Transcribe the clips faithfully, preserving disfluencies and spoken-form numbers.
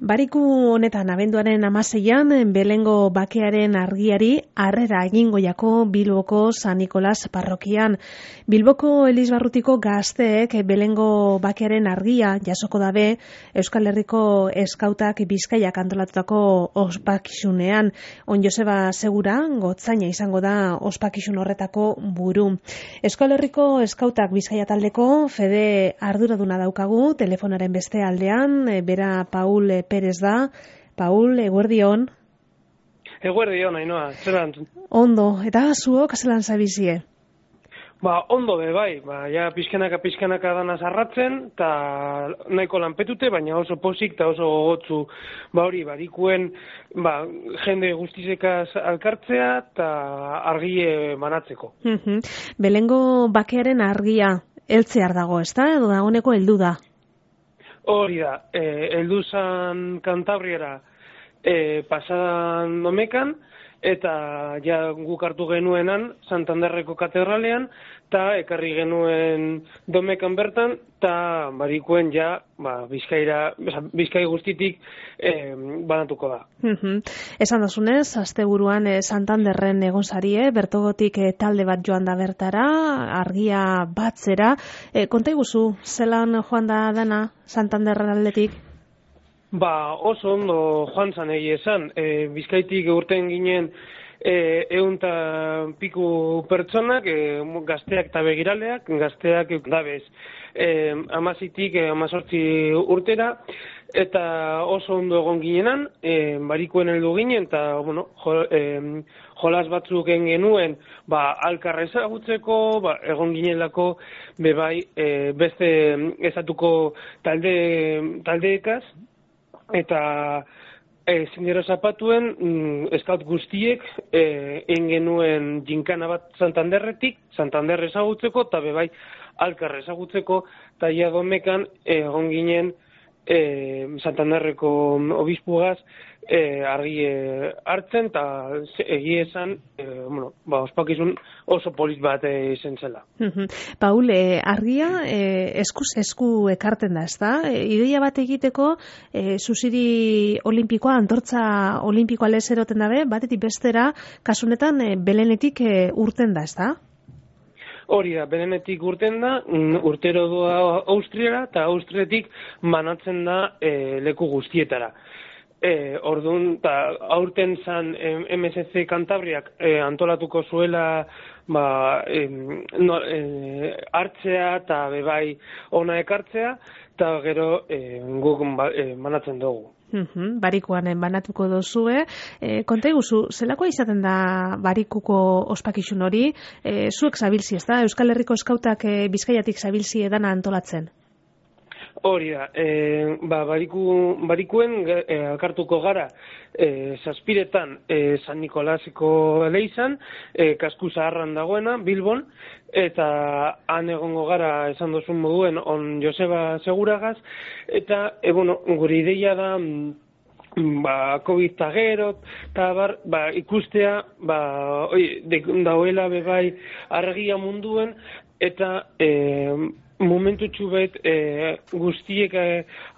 Bariku honetan abenduaren hamaseian Belengo bakearen argiari harrera egingo jako Bilboko San Nikolas parrokian. Bilboko Elizbarrutiko gazteek Belengo bakearen argia jasoko dabe Euskal Herriko eskautak Bizkaiak antolatutako ospakizunean. On Joseba Segura gotzaina izango da ospakizun horretako buru. Euskal Herriko eskautak Bizkaia taldeko fede arduraduna daukagu telefonaren beste aldean, bera Paul Perez da. Paul, eguerdion. Eguerdion, Ainhoa, zelan? Ondo, eta zuok zelan zabizie? Ba, ondo be, bai, ba, ja pizkanaka pizkanaka dana zarratzen, eta nahiko lanpetute, baina oso pozik eta oso gogotzu, ba hori, barikuen, ba, jende guztizekaz alkartzea, eta argie banatzeko. Belengo bakearen argia, heltzear dago, ezta? Edo dagoeneko heldu da? Hori da, eh, heldu zan Kantabriara eh, pasadan domekan, eta ja guk hartu genuenan Santanderreko katedralean, eta ekarri genuen domekan bertan, eta barikuen ja ba, Bizkaira, Bizkai guztitik eh, banatuko da. Esan dozunez, asteburuan eh, Santanderren egon zarie, bertogotik eh, talde bat joan da bertara, argia batzera. Eh, konta iguzu, zelan joan da dana Santanderren aldetik? Ba, oso ondo joan zan egia esan. E, Bizkaitik urten ginen e, eunta piku pertsonak, e, gazteak eta begiraleak, gazteak dabez e, amazitik e, amazortzi urtera, eta oso ondo egon ginenan, e, barikuen heldu ginen, eta bueno, jo, e, jolas batzuk genuen ba, alkarra ezagutzeko, ba, egon ginelako bebai e, beste ezatuko talde, taldeekaz, eta e, zindero zapatuen mm, eskaut guztiek e, egin genuen jinkana bat Santanderretik, Santander ezagutzeko, eta bebai alkar ezagutzeko, eta ia domekan egon ginen e, Santanderreko obispugaz e, argi e, hartzen, eta egie esan, e, bueno, ba, ospakizun oso polit bat e, izen zela. Paul, e, argia e, eskuz esku ekarten da, ezta? E, ideia bat egiteko e, zuziri olimpikoa, antortza olimpikoa lezeroten dabe, batetik bestera, kasunetan e, Belenetik e, urten da, ezta? Hori da, Belenetik urten da, urtero doa Austriara, eta Austriatik manatzen da e, leku guztietara. E, Orduan, eta aurten zan M S C Kantabriak e, antolatuko zuela ba, e, no, e, hartzea eta bebai ona ekartzea, eta gero e, guk ba, e, manatzen dugu. Uhum, barikuan banatuko dozue. E, konta iguzu, zelakoa izaten da barikuko ospakizun hori? E, zuek zabilzi, ez da? Euskal Herriko eskautak e, Bizkaiatik zabilzi edana antolatzen? Hori da, e, ba, bariku, barikuen e, alkartuko gara e, zazpiretan e, San Nikolaseko leizan, e, kasku zaharran dagoena, Bilbon, eta han egongo gara esan dozun moduen on Joseba Seguragaz, eta e, bueno, gure ideia da ba, COVID eta gero, eta bar, ba, ikustea ba, oi, de, dauela bebai argia munduen, eta e, momentu txubet e, guztiek e,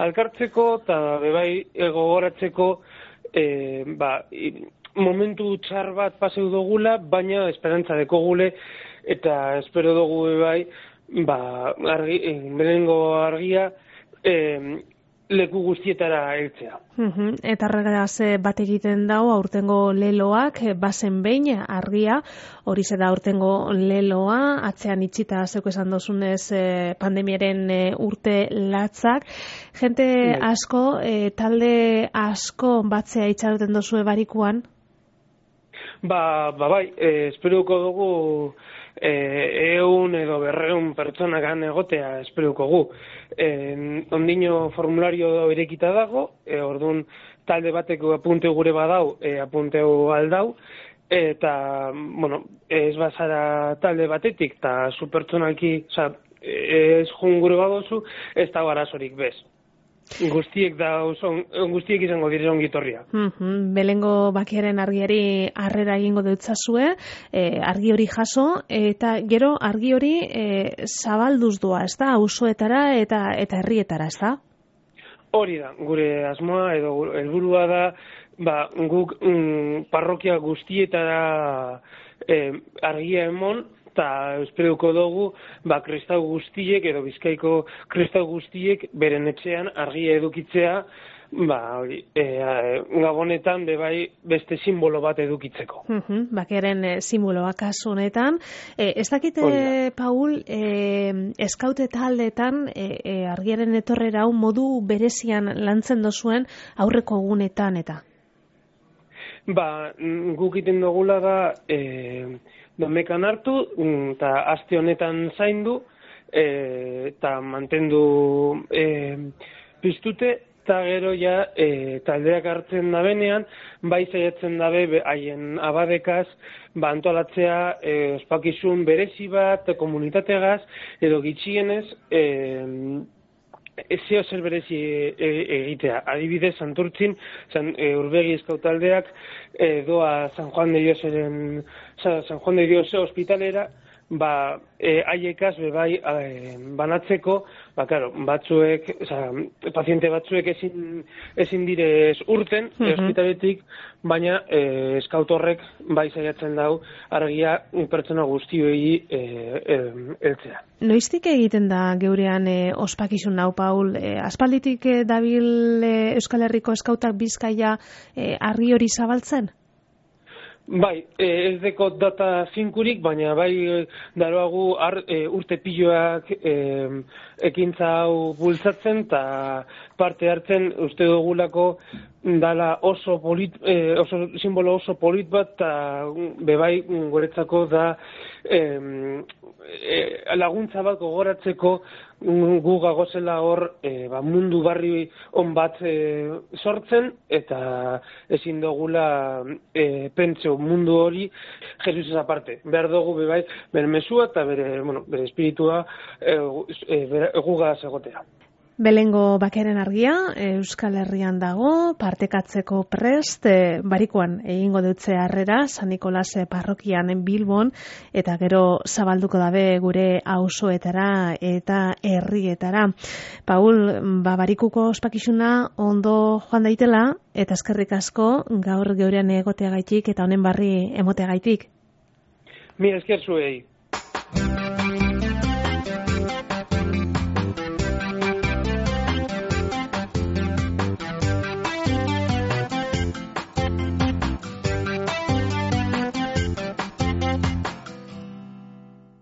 alkartzeko eta bebai gogoratzeko e, ba, momentu txar bat paseu dugula, baina esperantza dekogule eta espero dugu bebai ba, argi, e, Belengo argia e, leku guztietara heltzea. Uhum, eta arregaz bat egiten dau aurtengo leloak, bazen behin argia, hori ze da aurtengo leloa, atzean itxita zeuko esan dozunez pandemiaren urte latzak. Jente asko, e, talde asko batzea itxaroten dozue barikuan? Ba, ba bai, e, esperuko dugu e, eun edo berreun pertsonakan egotea esperuko gu. E, ondino formulario irekita dago, e, orduan talde bateko apunte gure badau, e, apunteu aldau, eta, bueno, ez bazara talde batetik, eta zu pertsonalki, oza, ez jun gure badozu, ez da arazorik bez. Guztiek da son, guztiek izango dire ongitorria. Mm-hmm. Belengo bakiaren argiari harrera egingo deutzazue, e, argi hori jaso, eta gero argi hori e, zabalduz doa, ez da, auzoetara eta eta herrietara, ez da? hori da, gure asmoa edo helburua da, ba, guk mm, parrokia guztietara eh, argia emon, eta espero dugu, ba, kristau guztiek edo Bizkaiko kristau guztiek beren etxean argia edukitzea, ba, hori, e, gabonetan bebai beste simbolo bat edukitzeko. Uh-huh, bakearen e, simboloa kasu honetan. E, ez dakite, Paul, e, eskaute taldeetan e, e, argiaren etorrera hau modu berezian lantzen dozuen aurreko egunetan eta? Ba, guk iten dugula da, e, domekan hartu, eta aste honetan zaindu, eta mantendu e, piztute, eta gero ja e, taldeak hartzen dabenean, bai zaiatzen dabe haien abadekaz, ba antolatzea e, ospakizun berezi bat, komunitategaz, edo gitxienez, e, ezeo zer berezi e, egitea. Adibidez, Santurtzin, San, e, Urbegi eskautaldeak e, doa San Juan de Dioseren, San Juan de Dios ospitalera, ba, e, haiekaz bebai e, banatzeko, ba, claro, batzuek, oza, paziente batzuek ezin, ezin direz urten, uh-huh. ospitaletik, baina e, eskautorrek bai zaiatzen dau argia pertsona guztioi e, e, eltzea. Noiztik egiten da geurean e, ospakizun hau, Paul? E, aspalditik e, dabil e, Euskal Herriko eskautak Bizkaia e, argi hori zabaltzen? Bai, ez deko data finkurik, baina bai daroagu ar, e, urte piloak e, ekintza hau bultzatzen eta parte hartzen uste dugulako dala oso, polit, e, oso simbolo oso polit bat eta bebai guretzako da e, e, laguntza bat gogoratzeko gu gagozela hor e, ba, mundu barri on bat e, sortzen eta ezin dugula e, pentseu mundu hori Jesus ez aparte. Behar dugu bebai bere mesua eta bere, bueno, bere espiritua e, e, bere, gugaz egotea. Belengo bakearen argia, Euskal Herrian dago, partekatzeko prest, e, barikoan egingo dutze harrera, San Nikolas parrokian Bilbon, eta gero zabalduko dabe gure auzoetara eta herrietara. Paul, ba, barikuko ospakizuna ondo joan daitela, eta eskerrik asko gaur geurean egoteagaitik eta honen barri emoteagaitik. Mi esker zuei.